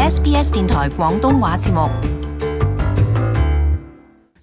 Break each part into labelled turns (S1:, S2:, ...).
S1: SBS 電台廣東話節目。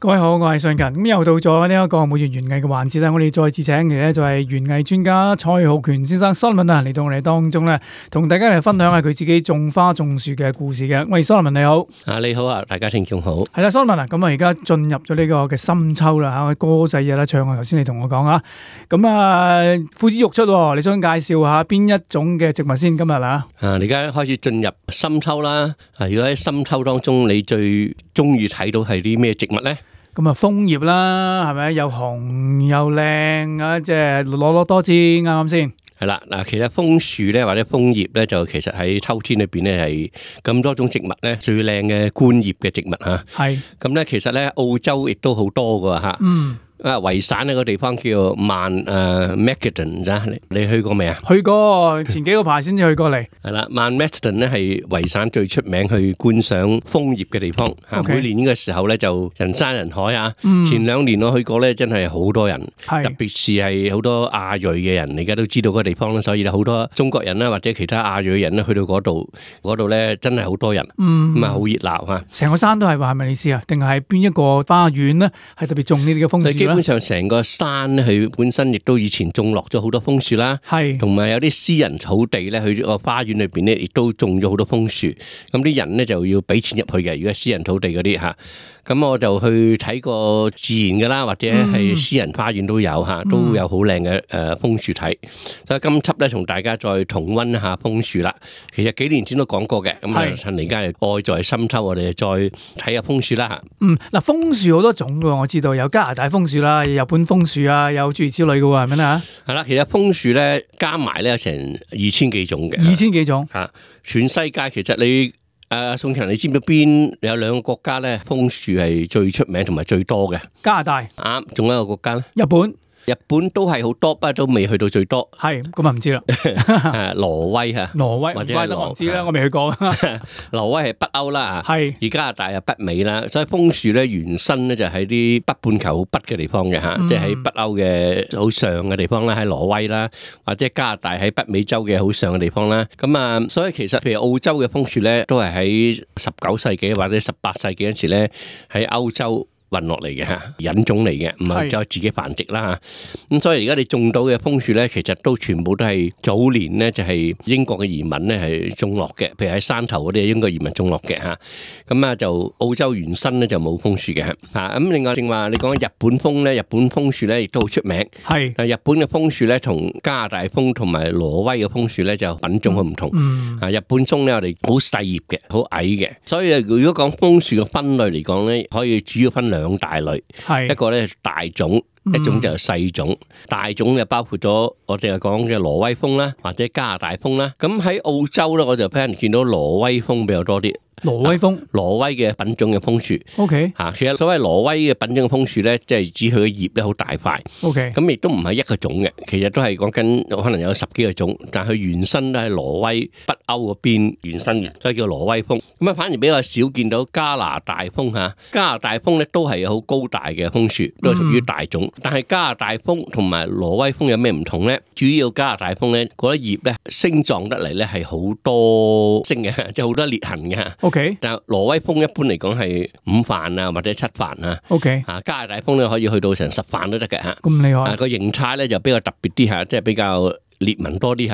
S2: 各位好，我係信勤。咁又到咗呢一個每月園藝嘅環節啦。我哋再次請嚟咧就係園藝專家蔡浩權先生 Solomon 啊，嚟到我哋當中咧，同大家嚟分享下佢自己種花種樹嘅故事嘅。喂 Solomon 你好。
S3: 你好啊，大家聽眾好。
S2: 係啦 Solomon 啊，咁啊而家進入咗呢個嘅深秋啦嚇，歌仔有得唱啊。頭先你同我講啊，咁啊呼之欲出喎，你想介紹下邊一種嘅植物先今日啊？
S3: 你而家開始進入深秋啦。如果喺深秋當中，你最中意睇到係啲咩植物咧？
S2: 咁啊，楓葉啦，係咪又紅又靚啊？即係攞多枝，啱啱先？
S3: 係啦，嗱，其實楓樹咧或者楓葉咧，就其實喺秋天裏邊咧係咁多種植物咧最靚嘅觀葉嘅植物嚇。係。咁咧其實咧澳洲亦都好多㗎嚇。嗯。維省呢個地方叫曼Macedon 咋？你去過未啊？
S2: 去過，前幾個排先至去過嚟。
S3: 係啦，曼 Macedon 咧係維省最出名去觀賞楓葉嘅地方。每年呢個時候咧就人山人海啊。前2年我去過咧，真係好多人，特別是係好多亞裔嘅人，而家都知道嗰個地方啦，所以咧好多中國人啦或者其他亞裔人咧去到嗰度咧真係好多人，咁啊好熱鬧嚇。
S2: 成個山都係話係咪意思啊？定係邊一個花園咧係特別種呢啲嘅楓樹？
S3: 基本上成個山咧，佢本身亦都以前種落咗好多楓樹啦，同埋有啲私人草地咧，佢個花園裏邊咧亦都種咗好多楓樹。咁啲人咧就要俾錢入去嘅，如果私人土地嗰啲嚇。咁我就去睇過自然嘅啦，或者係私人花園都有嚇，都有好靚嘅楓樹睇。所以今輯咧同大家再重溫一下楓樹啦。其實幾年前都講過嘅，咁啊趁而家愛在深秋，我哋再睇下楓樹啦嚇。
S2: 嗱，楓樹好多種㗎，我知道有加拿大楓樹啦，有日本楓樹啊，有諸如此類嘅喎，係咪啊？
S3: 係啦，其實楓樹咧加埋咧有成2000幾種嘅。
S2: 2000幾種
S3: 嚇，全世界其實你。宋強，你知唔知邊有2個國家咧楓樹係最出名同埋最多嘅？
S2: 加拿大。
S3: 啱，仲有一個國家咧？日本都係好多，不過都未去到最多。
S2: 係，咁啊唔知啦。
S3: 挪威嚇，
S2: 挪威
S3: 或者
S2: 我唔知啦，我未去過。
S3: 挪威係北歐啦，
S2: 係。
S3: 而加拿大係北美啦，所以楓樹咧原生咧就喺啲北半球好北嘅地方嘅嚇，即係喺北歐嘅好上嘅地方啦，喺挪威啦，或者加拿大喺北美洲嘅好上嘅地方啦。咁啊，所以其實譬如澳洲嘅楓樹咧，都係喺19世紀或者18世紀嗰時咧喺歐洲運落嚟嘅嚇，引種嚟嘅，唔係就自己繁殖啦嚇。咁所以而家你種到嘅楓樹咧，其實都全部都係早年咧就係英國嘅移民咧係種落嘅，譬如喺山頭嗰啲英國移民種落嘅嚇。咁啊就澳洲原生咧就冇楓樹嘅嚇。咁另外正話你講日本楓咧，日本楓樹咧亦都好出名。係。日本嘅楓樹咧同加拿大楓同埋挪威嘅楓樹咧就品種好唔同。日本棕咧我哋好細葉嘅，好矮嘅。所以如果講楓樹嘅分類嚟講咧，可以主要分2大類，一個咧大種，一種就係細種。大種就包括咗我淨係講嘅挪威楓啦，或者加拿大楓啦。咁喺澳洲咧，我就俾人見到挪威楓比較多啲。
S2: 挪威楓，
S3: 挪威嘅品種嘅楓樹。
S2: OK。
S3: 其實所謂挪威嘅品種嘅楓樹咧，即係指佢嘅葉咧好大塊。
S2: OK。
S3: 咁亦都唔係一個種嘅，其實都係講緊可能有10幾個種，但係佢原生都係挪威北歐嗰邊原生嘅，所以叫挪威楓。咁啊，反而比較少見到加拿大楓嚇。加拿大楓咧都係好高大嘅楓樹，都係屬於大種。但係加拿大楓同埋挪威楓有咩唔同咧？主要加拿大楓咧嗰啲葉咧星狀得嚟咧係好多星嘅，即係好多裂痕嘅。OK，但係挪威楓一般嚟講係5瓣啊或者7瓣啊。OK，加拿大楓咧可以去到成10瓣都得嘅嚇。咁厲害。個形態咧就比較特別啲嚇，即係比較裂紋多啲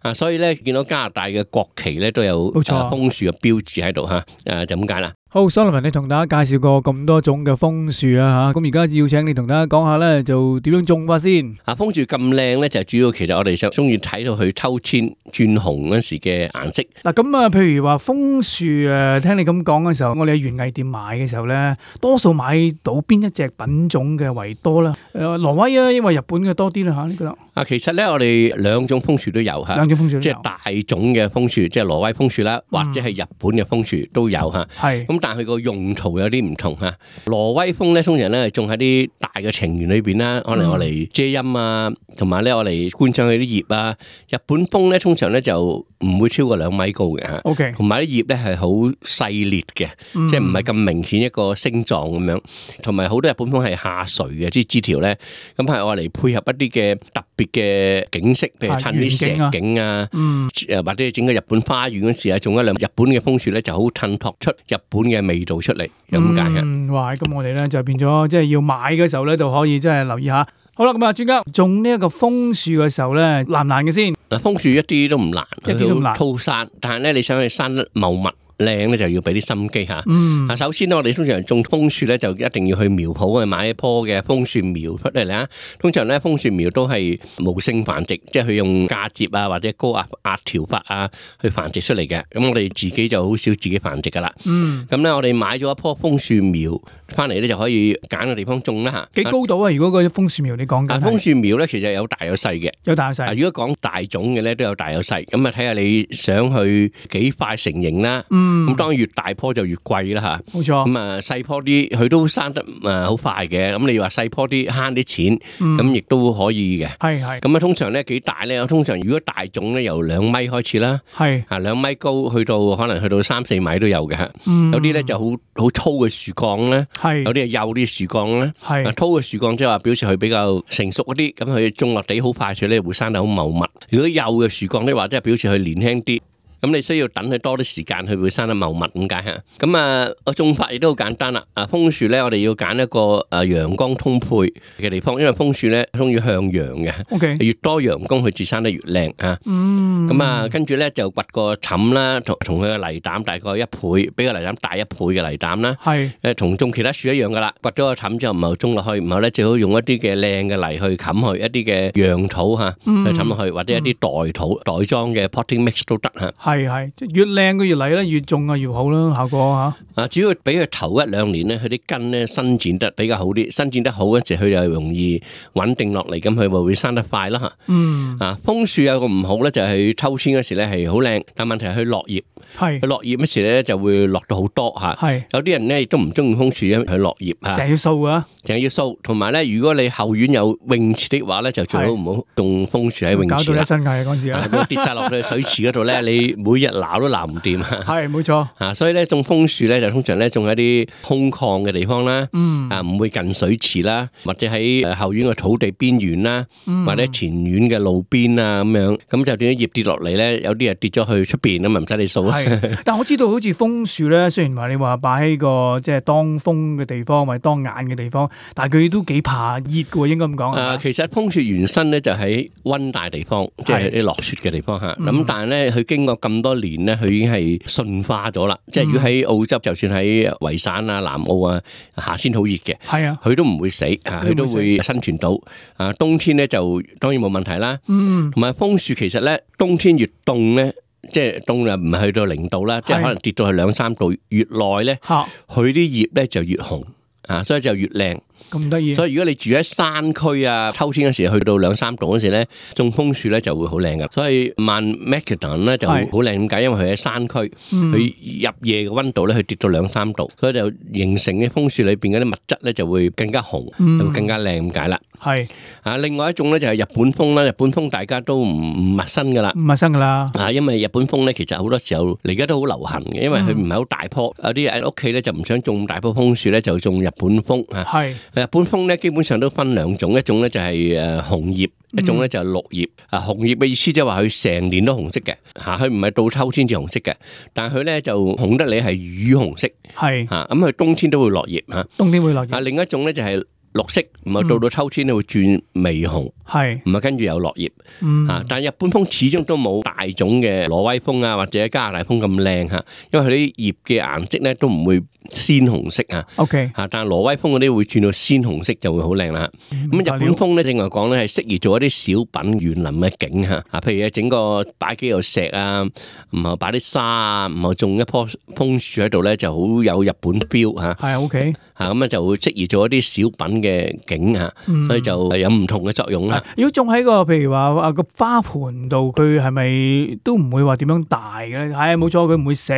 S3: 嚇。所以咧見到加拿大嘅國旗咧都有楓樹嘅標誌喺度嚇。就咁解啦。
S2: 好 Solomon 你同大家介紹過咁多種嘅楓樹啊嚇，咁而家要請你同大家講下咧，就點樣種法先？
S3: 楓樹咁靚咧，就主要其實我哋就中意睇到佢秋天轉紅嗰時嘅顏色。
S2: 嗱咁啊，譬如話楓樹誒，聽你咁講嘅時候，我哋喺園藝店買嘅時候咧，多數買到邊一隻品種嘅為多啦？挪威啊，因為日本嘅多啲啦嚇，你覺得？
S3: 其實咧我哋2種楓樹都有嚇，
S2: 兩種楓樹都有，
S3: 即係大種嘅楓樹，即係挪威楓樹啦，或者係日本嘅楓樹都有嚇。係咁。咁但係佢個用途有啲唔同嚇。挪威楓咧通常咧係種喺啲大嘅庭園裏邊啦，可能我嚟遮陰啊，同埋咧我嚟觀賞佢啲葉啊。日本楓咧通常咧就唔會超過2米高嘅嚇。
S2: OK，
S3: 同埋啲葉咧係好細裂嘅，即係唔係咁明顯一個星狀咁樣。同埋好多日本楓係下垂嘅啲枝條咧，咁係我嚟配合一啲嘅特別嘅景色，譬如襯啲石景啊，或者整個日本花園嗰時啊，種一兩日本嘅楓樹咧，就好襯托出日本嘅味道出嚟，咁解嘅。
S2: 哇！咁我哋咧就變咗，即係要買嘅時候咧，就可以即係留意下。好啦，咁啊，專家種呢一個楓樹嘅時候咧，難唔難嘅先？
S3: 嗱，楓樹一啲都唔難，
S2: 一啲都唔難，
S3: 粗生，但係咧你想去生得茂密靚咧，就要俾啲心機嚇。首先咧，我哋通常種楓樹咧，就一定要去苗圃去買一棵嘅楓樹苗出嚟啦。通常咧，楓樹苗都係無性繁殖，即係佢用嫁接啊或者高壓調法啊去繁殖出嚟嘅。咁我哋自己就好少自己繁殖噶啦。咁咧，我哋買咗一棵楓樹苗翻嚟咧，就可以揀個地方種啦嚇。
S2: 幾高度啊？如果嗰啲楓樹苗你講緊？
S3: 楓樹苗咧，其實有大有細嘅，
S2: 有大有細。
S3: 如果講大種嘅咧，都有大有細。咁啊，睇下你想去幾快成型啦。咁當然越大棵就越貴啦嚇。冇錯。咁啊，細棵啲佢都生得好快嘅。咁你話細棵啲慳啲錢，咁亦都可以嘅。係。咁啊，通常咧幾大咧？通常如果大種咧，由2米開始啦。係。2米高，可能去到3-4米都有嘅嚇。有啲咧就好粗嘅樹幹咧。有啲係幼啲樹幹咧。粗嘅樹幹即係話表示佢比較成熟嗰啲，咁佢種落地好快脆咧，會生得好茂密。如果幼嘅樹幹咧，或者係表示佢年輕啲。咁你需要等佢多啲時間，佢會生得茂密咁解嚇。咁啊，個種法亦都好簡單啦。楓樹咧，我哋要揀一個陽光充沛嘅地方，因為楓樹咧鍾意向陽嘅。OK，越多陽光佢自生得越靚嚇。咁啊，跟住咧就掘個氹啦，同佢嘅泥膽大概1倍，比個泥膽大1倍嘅泥膽啦。係同種其他樹一樣噶啦。掘咗個氹之後，唔係種落去，然後咧最好用一啲嘅靚嘅泥去冚去，一啲嘅陽土嚇去冚落去，或者一啲袋土袋裝嘅 potting mix 都得嚇。係，越靚嘅越嚟咧，越種啊越好啦，效果嚇。主要俾佢頭1-2年咧，佢啲根咧伸展得比較好啲，伸展得好嗰時，佢就容易穩定落嚟，咁佢咪會生得快啦嚇。楓樹有個唔好咧，就係秋天嗰時咧係好靚，但問題係佢落葉。佢落葉嗰時咧就會落到好多嚇。有啲人咧亦都唔中意楓樹，因為佢落葉嚇。成日要掃啊！成日要掃，同埋咧，如果你後院有泳池的話咧，就最好唔好種楓樹喺泳池啦。搞到一身蟻嗰陣時啊！跌晒落去水池嗰度咧，你每日撈都撈唔掂啊！係冇錯所以咧種楓樹咧就通常咧種喺啲空曠嘅地方啦，唔會近水池啦，或者喺後院嘅土地邊緣啦，或者前院嘅路邊啊咁樣，咁就點樣葉跌落嚟咧？有啲係跌咗去出邊咁啊，唔使你掃。但我知道好似楓樹咧，雖然話你話擺喺個即係當風嘅地方或者當眼嘅地方，但係佢都幾怕熱嘅喎，應該咁講。其實楓樹原生咧就喺溫帶地方，即係啲落雪嘅地方嚇。咁但係咧，佢經過咁多年咧，佢已經係馴化咗啦。即係如果喺澳洲，就算喺維省啊、南澳啊，夏天好熱嘅，佢都唔會死啊，佢都會生存到。冬天咧就當然冇問題啦。同埋楓樹其實咧，冬天越凍咧。即係凍又唔係去到0度啦，即係可能跌到去2-3度，越耐咧，佢啲葉咧就越紅所以就越靚。咁得意，所以如果你住喺山區啊，秋天嗰時去到2-3度嗰時咧，種楓樹咧就會好靚噶。所以Mount Macedon咧就好靚，點解？因為佢喺山區，佢入夜嘅溫度咧，佢跌到2-3度，所以就形成啲楓樹裏邊嗰啲物質咧就會更加紅，會更加靚咁解啦。係另外一種咧就係日本楓啦。日本楓大家都唔陌生噶啦，唔陌生噶啦。因為日本楓咧其實好多時候而家都好流行嘅，因為佢唔係好大棵，有啲喺屋企咧就唔想種咁大棵楓樹咧，就種日本楓係。日本楓咧基本上都分2種，一種咧就係紅葉，一種咧就係綠葉。紅葉嘅意思即係話佢成年都紅色嘅，佢唔係到秋天至紅色嘅，但係佢咧就紅得你係雨紅色，係咁佢冬天都會落葉冬天會落葉。另一種咧就係綠色，唔係到秋天咧會轉微紅，係唔係跟住有落葉。但係日本楓始終都冇大種嘅挪威楓啊或者加拿大楓咁靚嚇，因為佢啲葉嘅顏色咧都唔會鮮紅色OK 但係挪威楓嗰啲會轉到鮮紅色就會好靚啦。咁日本楓咧正話講咧係適宜做一啲小品園林嘅景譬如整個擺幾嚿石啊，然後擺啲沙啊，然後種一棵楓樹喺度咧就好有日本 feel 係 OK 咁就會適宜做一啲小品嘅景嚇，所以就有唔同嘅作用啦。
S2: 如果種喺個譬如話個花盆度，佢係咪都唔會話點樣大嘅咧？係冇錯，佢唔會死，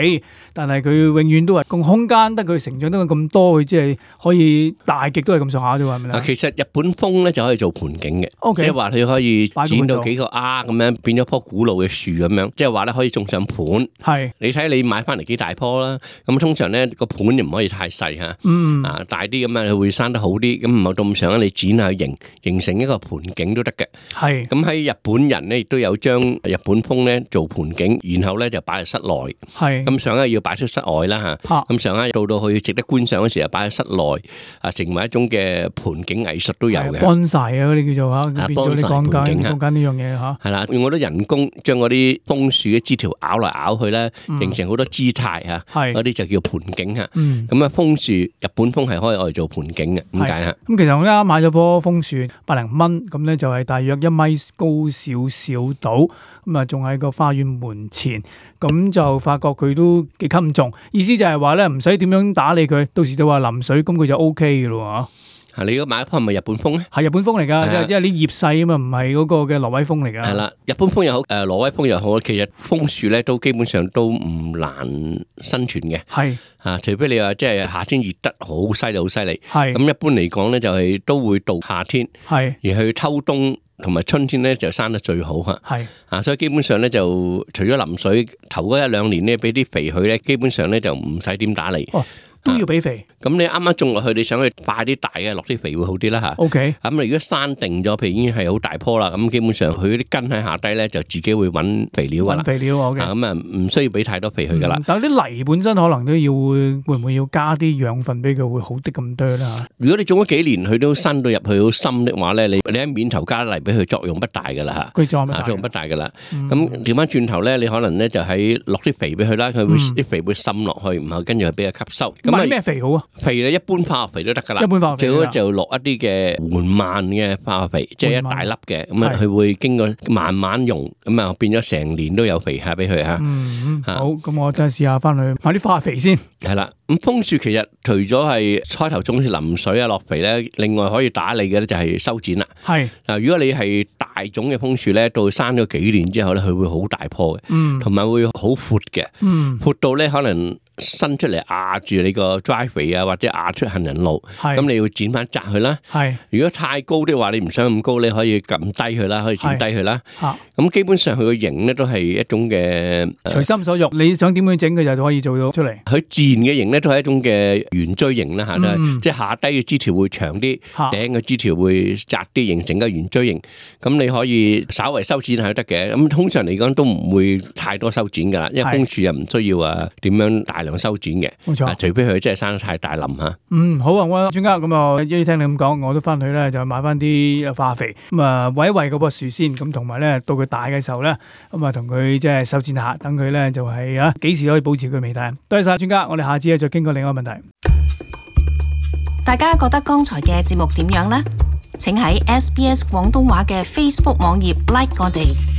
S2: 但係佢永遠都係個空間得佢成長得咁多，佢即係可以大極都係咁上下啫喎，係咪咧？
S3: 其實日本楓咧就可以做盆景嘅，
S2: Okay，
S3: 即係話佢可以剪到幾個咁樣，變咗棵古老嘅樹咁樣，即係話咧可以種上盤。
S2: 係
S3: 你睇你買翻嚟幾大棵啦，咁通常咧個盤又唔可以太細嚇，大啲咁樣佢會生得好啲，咁唔好到咁上下你剪下形成一個盆景都得嘅。
S2: 係
S3: 咁喺日本人咧亦都有將日本楓咧做盆景，然後咧就擺喺室內。
S2: 係
S3: 咁上下要擺出室外啦嚇，咁上下到去值得觀賞嘅時候擺喺室內，成為一種嘅盆景藝術都有嘅。
S2: 幫曬啊！嗰啲叫做嚇，變咗你講緊呢樣嘢嚇。
S3: 係啦，用好多人工將嗰啲楓樹嘅枝條咬嚟咬去咧，形成好多姿態嚇，嗰啲就叫盆景嚇。咁啊，楓樹日本楓係可以攞嚟做盆景嘅，點解嚇？
S2: 咁其實我啱啱買咗棵楓樹100蚊，咁咧就係大約1米高少少到，咁啊仲喺個花園門前，咁就發覺佢都幾襟重，意思就係話咧唔使點樣打理佢，到時就話淋水，咁佢就 O K 嘅咯喎。
S3: 你如果買一棵係咪日本楓咧？
S2: 係日本楓嚟㗎，因為啲葉細啊嘛，唔係嗰個嘅挪威楓嚟㗎。
S3: 係啦，日本楓又好，挪威楓又好，其實楓樹咧都基本上都唔難生存嘅。
S2: 係
S3: 除非你話即係夏天熱得好犀利，好犀利。
S2: 係
S3: 咁一般嚟講咧，就係都會到夏天。
S2: 係
S3: 而去秋冬同埋春天咧就生得最好嚇。
S2: 係
S3: 所以基本上咧就除咗淋水頭嗰1-2年咧俾啲肥佢咧，基本上咧就唔使點打理。
S2: 都要俾肥。
S3: 咁你啱啱種落去，你想去快啲大嘅落啲肥會好啲啦嚇。
S2: OK。
S3: 咁你如果生定咗，譬如已經係好大棵啦，咁基本上佢啲根喺下低咧就自己會揾肥料㗎啦。
S2: 揾肥料 OK。
S3: 咁啊唔需要俾太多肥佢㗎啦。
S2: 但係啲泥本身可能都要會唔會要加啲養分俾佢會好啲咁多啦？
S3: 如果你種咗幾年，佢都生到入去好深的話咧，你喺面頭加泥俾佢作用不大㗎啦嚇。
S2: 佢作
S3: 用不大㗎啦。咁調翻轉頭咧，你可能咧就喺落啲肥俾佢啦，佢會啲肥會滲落去，然後跟住佢俾佢吸收。
S2: 買咩肥好啊？
S3: 肥咧一般化學肥都得噶啦，
S2: 一般化學肥
S3: 最好就落一啲嘅緩慢嘅化學肥，即係一大粒嘅，咁啊佢會經過慢慢用，咁啊變咗成年都有肥下俾佢嚇。
S2: 好，咁我真係試下翻去買啲化學肥先。
S3: 係啦，咁楓樹其實除咗係開頭種淋水啊落肥咧，另外可以打理嘅咧就係修剪啦。
S2: 係
S3: 嗱，如果你係大種嘅楓樹咧，到生咗幾年之後咧，佢會好大棵嘅，同埋會好闊嘅，闊到咧可能伸出嚟壓住你個 driveway 啊，或者壓出行人路，咁你要剪翻窄佢啦。如果太高的話，你唔想咁高，你可以撳低佢啦，可以剪低佢啦。咁基本上佢個形咧都係一種嘅
S2: 隨心所欲，你想點樣整佢就可以做到出嚟。
S3: 佢自然嘅形咧都係一種嘅圓錐形啦嚇，即係下低嘅枝條會長啲，頂嘅枝條會窄啲，形成個圓錐形。咁你可以稍為修剪係得嘅。咁通常嚟講都唔會太多修剪噶啦，因為楓樹又唔需要點樣大量修剪嘅。
S2: 冇錯，
S3: 除非佢真係生得太大林嚇。
S2: 好啊，我專家咁啊，一聽你咁講，我都翻去咧就買翻啲化肥，咁啊餵一餵嗰棵樹先，咁同埋咧到佢大嘅時候咧，咁啊同佢即係修剪下，等佢咧就係幾時可以保持佢微態。多謝晒專家，我哋下次再傾過另一個問題。
S1: 大家覺得剛才嘅節目點樣呢？請喺SBS 廣東話嘅 Facebook 網頁 like 我哋。